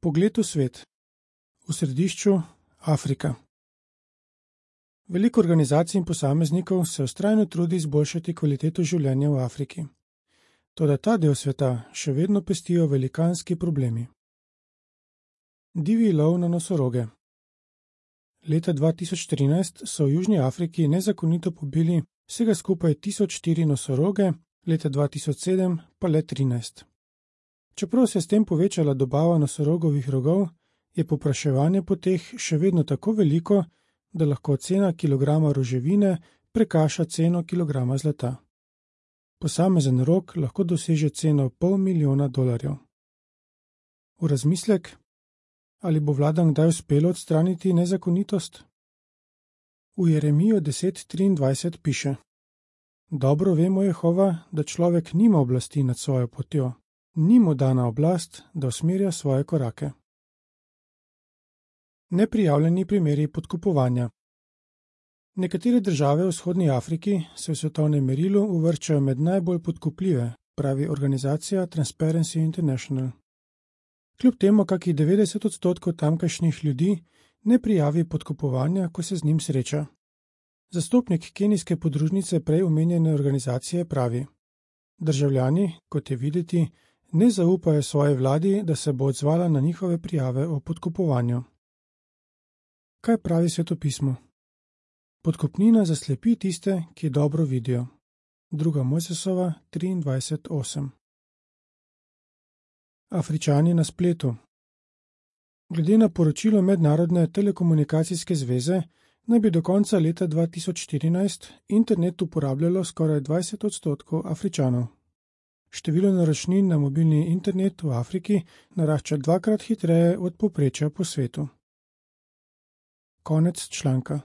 Pogled v svet. V središču Afrika. Veliko organizacij in posameznikov se vztrajno trudi izboljšati kvaliteto življenja v Afriki. Toda ta del sveta še vedno pestijo velikanski problemi. Divji lov na nosoroge. Leta 2013 so v Južni Afriki nezakonito pobili vsega skupaj 1004 nosoroge, leta 2007 pa le 13. Čeprav se je s tem povečala dobava nosorogovih rogov, je povpraševanje po teh še vedno tako veliko, da lahko cena kilograma roževine prekaša ceno kilograma zlata. Posamezen rog lahko doseže ceno $500,000. V razmislek, ali bo vladam kdaj uspelo odstraniti nezakonitost? V Jeremijo 10:23 piše: Dobro vemo Jehova, da človek nima oblasti nad svojo potjo, ni mu dana oblast, da usmerja svoje korake. Neprijavljeni primeri podkupovanja. Nekatere države v vzhodni Afriki se v svetovnem merilu uvrščajo med najbolj podkupljive, pravi organizacija Transparency International. Kljub temu, kakih 90% tamkajšnjih ljudi ne prijavi podkupovanja, ko se z njim sreča. Zastopnik kenijske podružnice prej omenjene organizacije pravi: Državljani, kot je videti, ne zaupajo svoji vladi, da se bo odzvala na njihove prijave o podkupovanju. Kaj pravi svetopismo? Podkupnina zaslepi tiste, ki dobro vidijo. 2. Mojsesova 23:8. Afričani na spletu. Glede na poročilo Mednarodne telekomunikacijske zveze, naj bi do konca leta 2014 internet uporabljalo skoraj 20% Afričanov. Število naročnin na mobilni internet v Afriki narašča 2-krat hitreje od povprečja po svetu. Konec članka.